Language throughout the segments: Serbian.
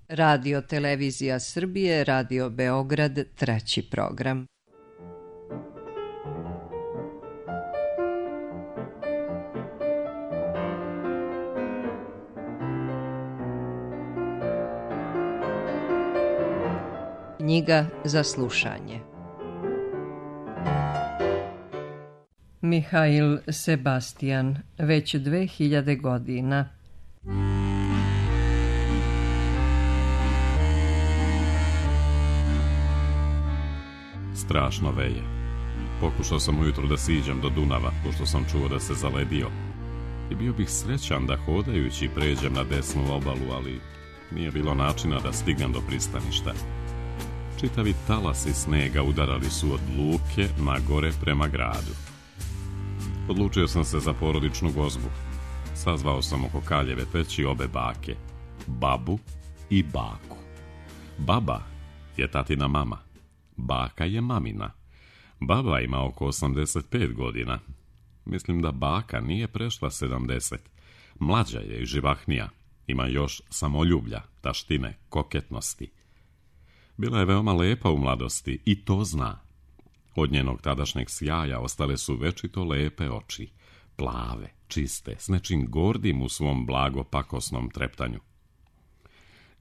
Radio Televizija Srbije, Radio Beograd, treći program. Knjiga za slušanje. Mihail Sebastian, već 2000 godina. Strašno veje. Pokušao sam ujutro da siđem do Dunava, pošto sam čuo da se zaledio. I bio bih srećan da hodajući pređem na desnu obalu, ali nije bilo načina da stignem do pristaništa. Čitavi talasi snega udarali su od luke na gore prema gradu. Odlučio sam se za porodičnu gozbu. Sazvao sam oko Kaljeve peći obe bake, babu i baku. Baba je tatina mama, baka je mamina. Baba ima oko 85 godina. Mislim da baka nije prešla 70. Mlađa je i živahnija. Ima još samoljublja, taštine, koketnosti. Bila je veoma lepa u mladosti i to zna. Od njenog tadašnjeg sjaja ostale su večito lepe oči, plave, čiste, s nečim gordim u svom blago pakosnom treptanju.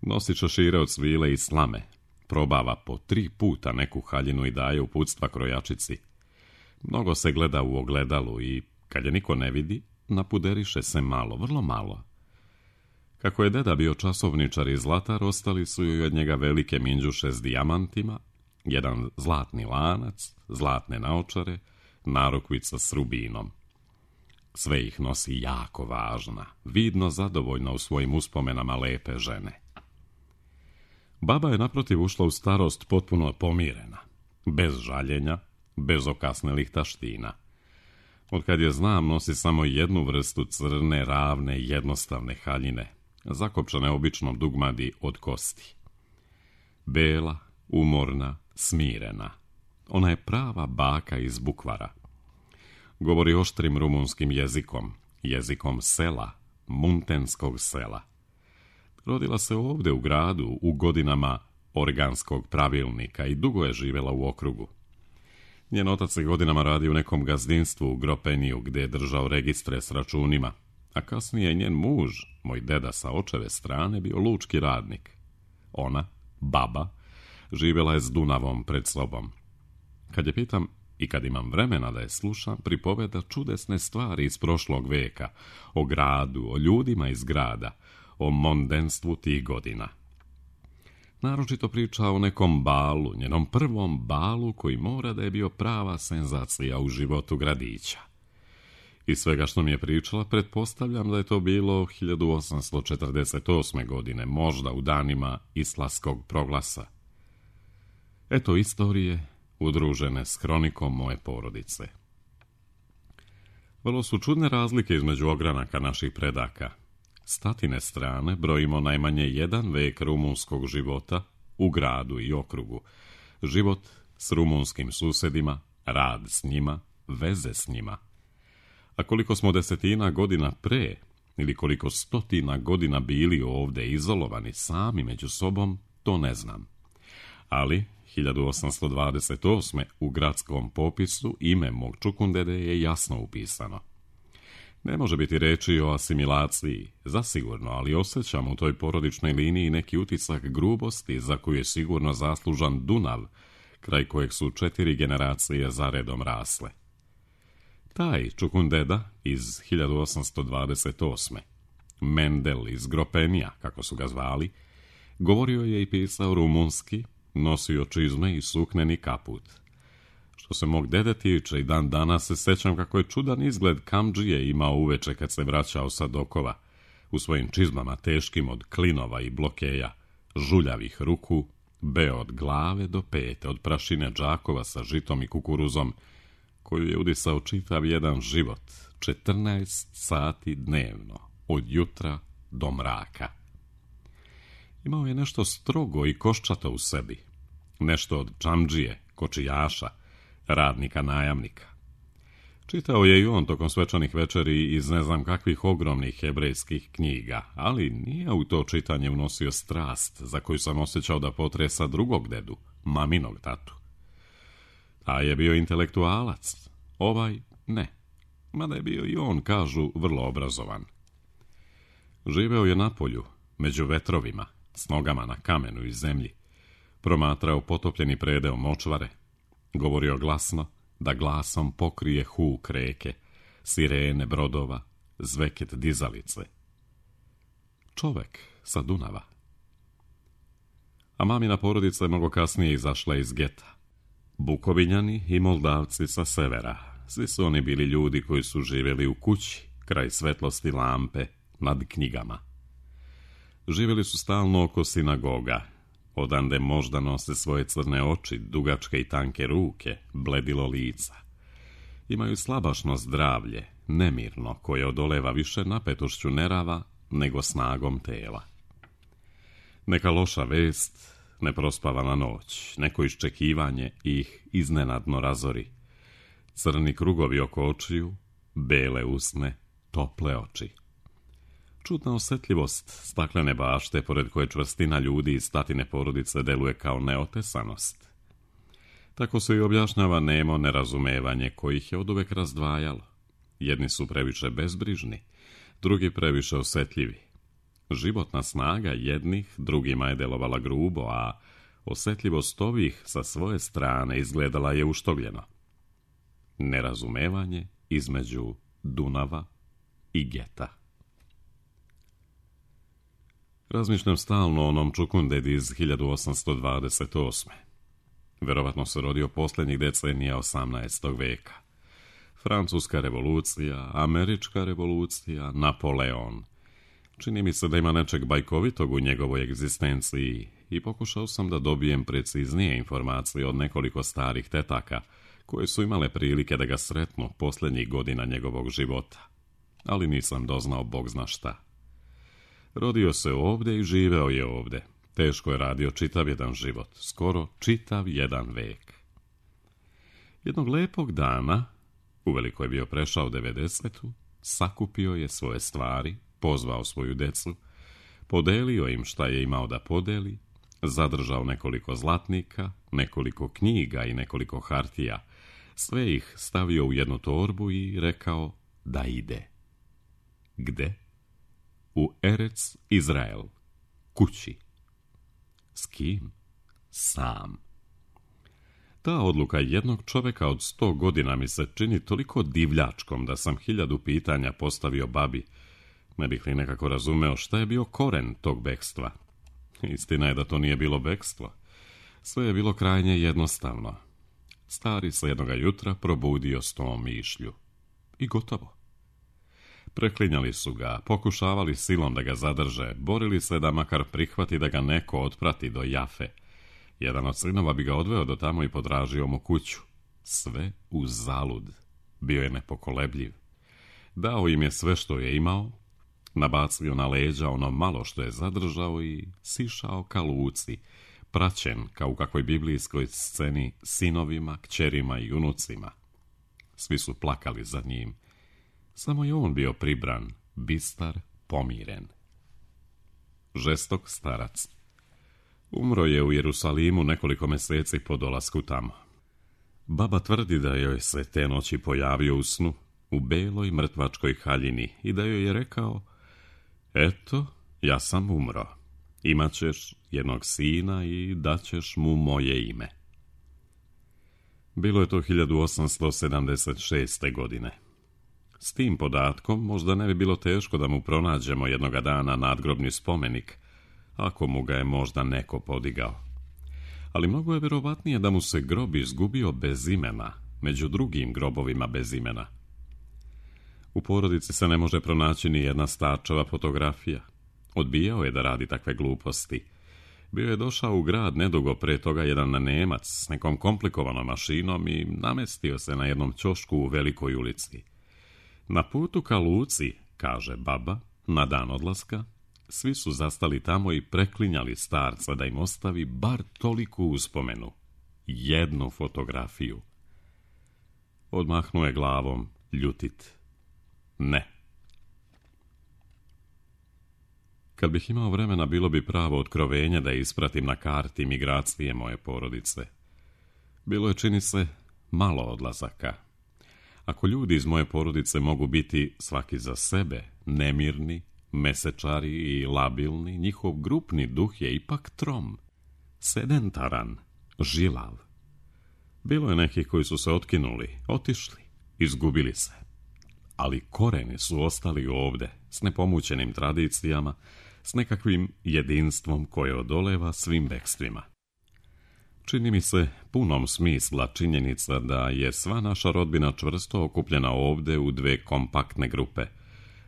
Nosi čašire od svile i slame, probava po 3 puta neku haljinu i daje uputstva krojačici. Mnogo se gleda u ogledalu i, kad je niko ne vidi, napuderiše se malo, vrlo malo. Kako je deda bio časovničar i zlatar, ostali su joj od njega velike minđuše s dijamantima, jedan zlatni lanac, zlatne naočare, narukvica s rubinom. Sve ih nosi jako važna, vidno zadovoljna u svojim uspomenama lepe žene. Baba je naprotiv ušla u starost potpuno pomirena, bez žaljenja, bez okasnelih taština. Otkad je znam, nosi samo jednu vrstu crne, ravne, jednostavne haljine, zakopčane običnom dugmadi od kosti. Bela, umorna, smirena. Ona je prava baka iz bukvara. Govori oštrim rumunskim jezikom, jezikom sela, muntenskog sela. Rodila se ovde u gradu u godinama organskog pravilnika i dugo je živjela u okrugu. Njen otac je godinama radio u nekom gazdinstvu u Gropeniju, gdje je držao registre s računima, a kasnije njen muž, moj deda sa očeve strane, bio lučki radnik. Ona, baba, živjela je s Dunavom pred sobom. Kad je pitam i kad imam vremena da je slušam, pripoveda čudesne stvari iz prošlog veka, o gradu, o ljudima iz grada, o mondenstvu tih godina. Naročito priča o nekom balu, njenom prvom balu koji mora da je bio prava senzacija u životu gradića. Iz svega što mi je pričala, pretpostavljam da je to bilo 1848. godine, možda u danima Islamskog proglasa. Eto istorije udružene s hronikom moje porodice. Vrlo su čudne razlike između ogranaka naših predaka. S tatine strane brojimo najmanje 1 vek rumunskog života u gradu i okrugu. Život s rumunskim susedima, rad s njima, veze s njima. A koliko smo desetina godina pre, ili koliko stotina godina bili ovde izolovani sami među sobom, to ne znam. Ali 1828. u gradskom popisu ime mog čukundede je jasno upisano. Ne može biti reči o asimilaciji, zasigurno, ali osjećam u toj porodičnoj liniji neki utisak grubosti za koju je sigurno zaslužan Dunav, kraj kojeg su 4 generacije zaredom rasle. Taj čukundeda iz 1828. Mendel iz Gropenija, kako su ga zvali, govorio je i pisao rumunski, nosio čizme i sukneni kaput. Što se mog dede tiče, i dan danas se sećam kako je čudan izgled kamdžije imao uveče kad se vraćao sa dokova, u svojim čizmama teškim od klinova i blokeja, žuljavih ruku, beo od glave do pete, od prašine džakova sa žitom i kukuruzom, koju je udisao čitav jedan život, 14 sati dnevno, od jutra do mraka. Imao je nešto strogo i koščato u sebi, nešto od čamdžije, kočijaša, radnika najamnika. Čitao je i on tokom svečanih večeri iz ne znam kakvih ogromnih hebrejskih knjiga, ali nije u to čitanje unosio strast za koju sam osjećao da potresa drugog dedu, maminog tatu. A je bio intelektualac, ovaj ne, mada je bio i on, kažu, vrlo obrazovan. Živeo je na polju, među vetrovima, s nogama na kamenu i zemlji, promatrao potopljeni predeo močvare, govorio glasno, da glasom pokrije huk reke, sirene brodova, zveket dizalice. Čovek sa Dunava. A mamina porodica je mnogo kasnije izašla iz geta. Bukovinjani i Moldavci sa severa. Svi su oni bili ljudi koji su živjeli u kući, kraj svetlosti lampe, nad knjigama. Živjeli su stalno oko sinagoga, odande možda nose svoje crne oči, dugačke i tanke ruke, bledilo lica. Imaju slabašno zdravlje, nemirno, koje odoleva više napetošću nerava nego snagom tela. Neka loša vest, neprospavana noć, neko iščekivanje ih iznenadno razori. Crni krugovi oko očiju, bele usne, tople oči. Čudna osjetljivost staklene bašte, pored koje čvrstina ljudi iz tatine porodice deluje kao neotesanost. Tako se i objašnjava nemo nerazumevanje kojih je oduvek razdvajalo. Jedni su previše bezbrižni, drugi previše osjetljivi. Životna snaga jednih drugima je delovala grubo, a osjetljivost ovih sa svoje strane izgledala je uštogljeno. Nerazumevanje između Dunava i geta. Razmišljam stalno o onom Čukundedi iz 1828. Verovatno se rodio posljednjih decenija 18. veka. Francuska revolucija, Američka revolucija, Napoleon. Čini mi se da ima nečeg bajkovitog u njegovoj egzistenciji i pokušao sam da dobijem preciznije informacije od nekoliko starih tetaka koje su imale prilike da ga sretnu posljednjih godina njegovog života. Ali nisam doznao bog zna šta. Rodio se ovdje i živeo je ovdje. Teško je radio čitav jedan život, skoro čitav jedan vek. Jednog lepog dana, uveliko je bio prešao 90, sakupio je svoje stvari, pozvao svoju decu, podelio im šta je imao da podeli, zadržao nekoliko zlatnika, nekoliko knjiga i nekoliko hartija, sve ih stavio u jednu torbu i rekao da ide. Gde? U Erec Izrael, kući. S kim? Sam. Ta odluka jednog čoveka od 100 godina mi se čini toliko divljačkom da sam 1000 pitanja postavio babi, ne bih li nekako razumeo šta je bio koren tog bekstva. Istina je da to nije bilo bekstvo. Sve je bilo krajnje jednostavno. Stari se jednoga jutra probudio s tom mišlju. I gotovo. Preklinjali su ga, pokušavali silom da ga zadrže, borili se da makar prihvati da ga neko otprati do Jafe. Jedan od sinova bi ga odveo do tamo i podražio mu kuću. Sve uzalud. Bio je nepokolebljiv. Dao im je sve što je imao, nabacio na leđa ono malo što je zadržao i sišao ka luci, praćen kao u kakvoj biblijskoj sceni sinovima, kćerima i unucima. Svi su plakali za njim. Samo je on bio pribran, bistar, pomiren. Žestok starac. Umro je u Jerusalimu nekoliko meseci po dolasku tamo. Baba tvrdi da joj se te noći pojavio u snu, u beloj mrtvačkoj haljini i da joj je rekao: eto, ja sam umro. Imaćeš jednog sina i daćeš mu moje ime. Bilo je to 1876. godine. S tim podatkom možda ne bi bilo teško da mu pronađemo jednoga dana nadgrobni spomenik, ako mu ga je možda neko podigao. Ali mnogo je vjerovatnije da mu se grob izgubio bez imena, među drugim grobovima bez imena. U porodici se ne može pronaći ni jedna starčeva fotografija. Odbijao je da radi takve gluposti. Bio je došao u grad nedugo pre toga jedan Nemac s nekom komplikovanom mašinom i namestio se na jednom ćošku u Velikoj ulici. Na putu ka luci, kaže baba, na dan odlaska, svi su zastali tamo i preklinjali starca da im ostavi bar toliku uspomenu. Jednu fotografiju. Odmahnuo je glavom, ljutit. Ne. Kad bih imao vremena, bilo bi pravo otkrovenje da ispratim na karti migracije moje porodice. Bilo je, čini se, malo odlazaka. Ako ljudi iz moje porodice mogu biti svaki za sebe, nemirni, mesečari i labilni, njihov grupni duh je ipak trom, sedentaran, žilav. Bilo je nekih koji su se otkinuli, otišli, izgubili se. Ali koreni su ostali ovde, s nepomućenim tradicijama, s nekakvim jedinstvom koje odoleva svim bekstvima. Čini mi se punom smisla činjenica da je sva naša rodbina čvrsto okupljena ovde u dve kompaktne grupe.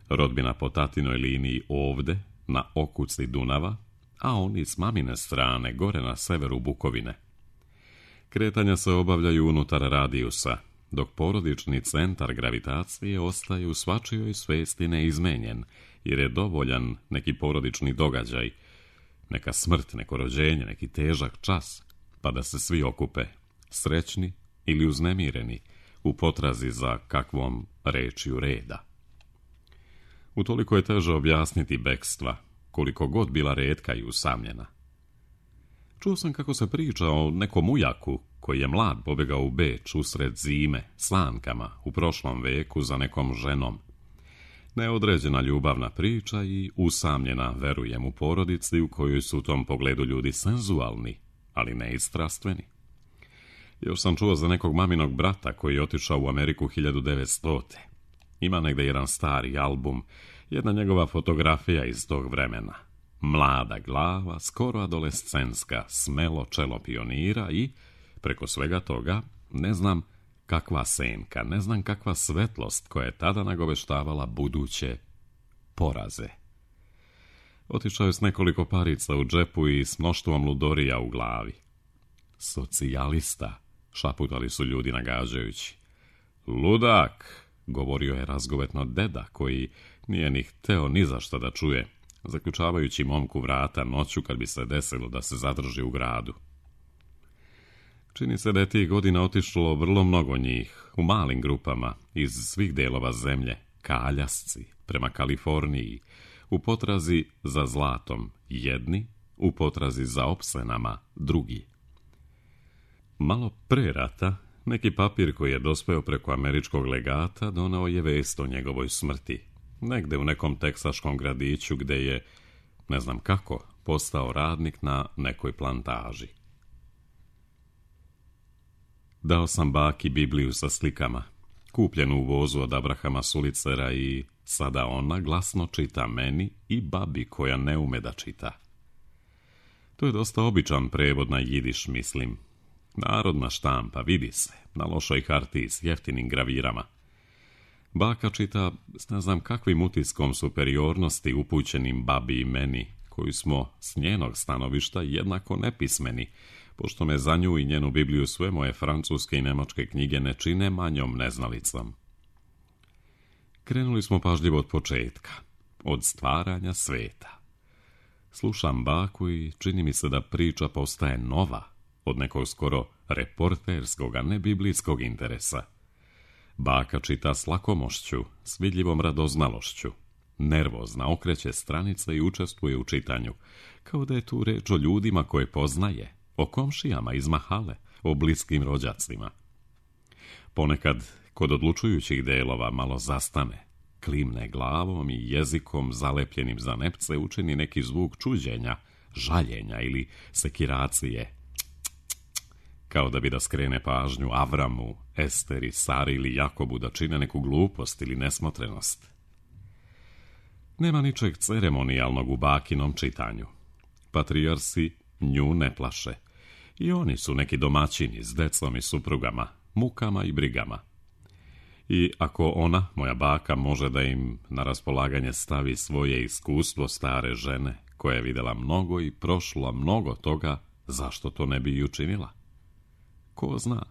Rodbina po tatinoj liniji ovde, na okuci Dunava, a oni s mamine strane, gore na severu Bukovine. Kretanja se obavljaju unutar radijusa, dok porodični centar gravitacije ostaje u svačijoj svesti neizmenjen, jer je dovoljan neki porodični događaj, neka smrt, neko rođenje, neki težak čas, pa da se svi okupe, srećni ili uznemireni, u potrazi za kakvom rečju reda. Utoliko je teže objasniti bekstva, koliko god bila retka i usamljena. Čuo sam kako se priča o nekom ujaku koji je mlad pobegao u Beč usred zime, sankama, u prošlom veku za nekom ženom. Neodređena ljubavna priča i usamljena, verujem, u porodici u kojoj su u tom pogledu ljudi senzualni, ali ne i strastveni. Još sam čuo za nekog maminog brata koji je otišao u Ameriku 1900. Ima negde jedan stari album, jedna njegova fotografija iz tog vremena. Mlada glava, skoro adolescenska, smelo čelo pionira i, preko svega toga, ne znam kakva senka, ne znam kakva svetlost koja je tada nagoveštavala buduće poraze. Otišao je s nekoliko parica u džepu i s mnoštvom ludorija u glavi. Socijalista, šaputali su ljudi nagađajući. Ludak, govorio je razgovetno deda, koji nije ni hteo ni za šta da čuje, zaključavajući momku vrata noću kad bi se desilo da se zadrži u gradu. Čini se da je tih godina otišlo vrlo mnogo njih, u malim grupama, iz svih delova zemlje, ka Aljasci, prema Kaliforniji, u potrazi za zlatom jedni, u potrazi za opsenama drugi. Malo pre rata, neki papir koji je dospeo preko američkog legata doneo je vest o njegovoj smrti, negde u nekom teksaškom gradiću gde je, ne znam kako, postao radnik na nekoj plantaži. Dao sam baki Bibliju sa slikama, kupljenu u vozu od Abrahama Sulicera, i sada ona glasno čita meni i babi koja ne ume da čita. To je dosta običan prevod na jidiš, mislim. Narodna štampa, vidi se, na lošoj hartiji s jeftinim gravirama. Baka čita s ne znam kakvim utiskom superiornosti upućenim babi i meni, koji smo s njenog stanovišta jednako nepismeni, pošto me za nju i njenu Bibliju sve moje francuske i nemačke knjige ne čine manjom neznalicom. Krenuli smo pažljivo od početka, od stvaranja sveta. Slušam baku i čini mi se da priča postaje nova, od nekog skoro reporterskog, a ne biblijskog interesa. Baka čita s lakomošću, s vidljivom radoznalošću. Nervozna okreće stranice i učestvuje u čitanju, kao da je tu reč o ljudima koje poznaje, o komšijama iz mahale, o bliskim rođacima. Ponekad, kod odlučujućih delova, malo zastane, klimne glavom i jezikom zalepljenim za nepce učini neki zvuk čuđenja, žaljenja ili sekiracije, kao da bi da skrene pažnju Avramu, Esteri, Sari ili Jakobu da čine neku glupost ili nesmotrenost. Nema ničeg ceremonijalnog u bakinom čitanju. Patrijarsi nju ne plaše. I oni su neki domaćini s decom i suprugama, mukama i brigama. I ako ona, moja baka, može da im na raspolaganje stavi svoje iskustvo stare žene, koja je videla mnogo i prošla mnogo toga, zašto to ne bi i učinila? Ko zna?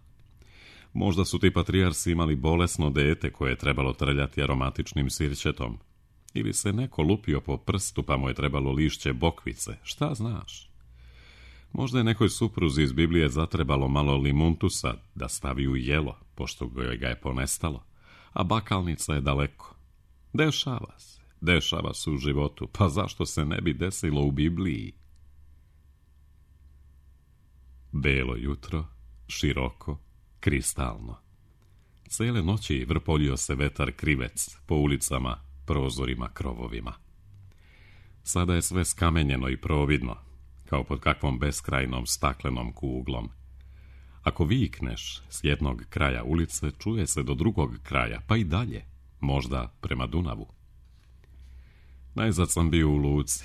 Možda su ti patrijarsi imali bolesno dete koje je trebalo trljati aromatičnim sirćetom. Ili se neko lupio po prstu pa mu je trebalo lišće bokvice, šta znaš? Možda je nekoj supruzi iz Biblije zatrebalo malo limuntusa da stavi u jelo, pošto ga je ponestalo, a bakalnica je daleko. Dešava se u životu, pa zašto se ne bi desilo u Bibliji? Belo jutro, široko, kristalno. Cele noći vrpoljio se vetar krivec po ulicama, prozorima, krovovima. Sada je sve skamenjeno i providno, kao pod kakvom beskrajnom staklenom kuglom. Ako vikneš s jednog kraja ulice, čuje se do drugog kraja, pa i dalje, možda prema Dunavu. Najzad sam bio u luci.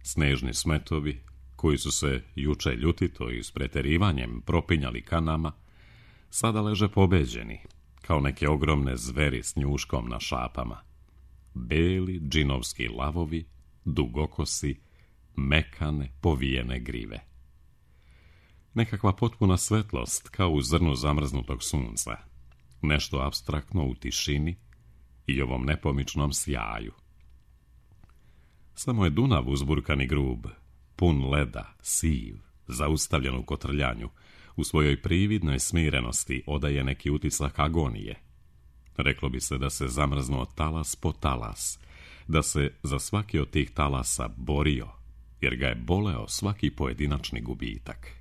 Snežni smetovi, koji su se juče ljutito i s preterivanjem propinjali kanama, sada leže pobeđeni, kao neke ogromne zveri s njuškom na šapama. Beli džinovski lavovi, dugokosi, mekane, povijene grive. Nekakva potpuna svetlost, kao u zrnu zamrznutog sunca. Nešto apstraktno u tišini i ovom nepomičnom sjaju. Samo je Dunav uzburkan i grub, pun leda, siv, zaustavljen u kotrljanju, u svojoj prividnoj smirenosti odaje neki utisak agonije. Reklo bi se da se zamrznuo talas po talas, da se za svaki od tih talasa borio, jer ga je boleo svaki pojedinačni gubitak.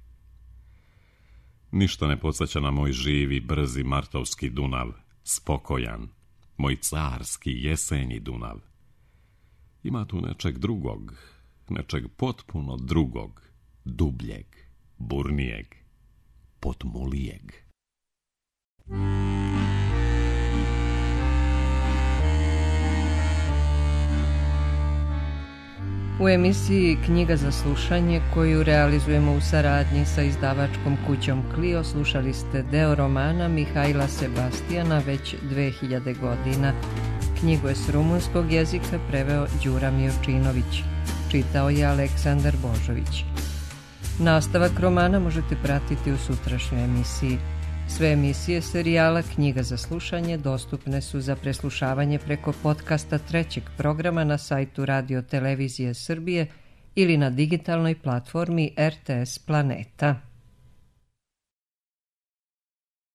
Ništa ne podsjeća na moj živi, brzi martovski Dunav, spokojan, moj carski jesenji Dunav. Ima tu nečeg drugog, nečeg potpuno drugog, dubljeg, burnijeg, potmulijeg. U emisiji Knjiga za slušanje, koju realizujemo u saradnji sa izdavačkom kućom Clio, slušali ste deo romana Mihajla Sebastijana već 2000 godina. Knjigu je s rumunskog jezika preveo Đura Miočinović. Čitao je Aleksandar Božović. Nastavak romana možete pratiti u sutrašnjoj emisiji. Sve emisije serijala Knjiga za slušanje dostupne su za preslušavanje preko podcasta trećeg programa na sajtu Radio Televizije Srbije ili na digitalnoj platformi RTS Planeta.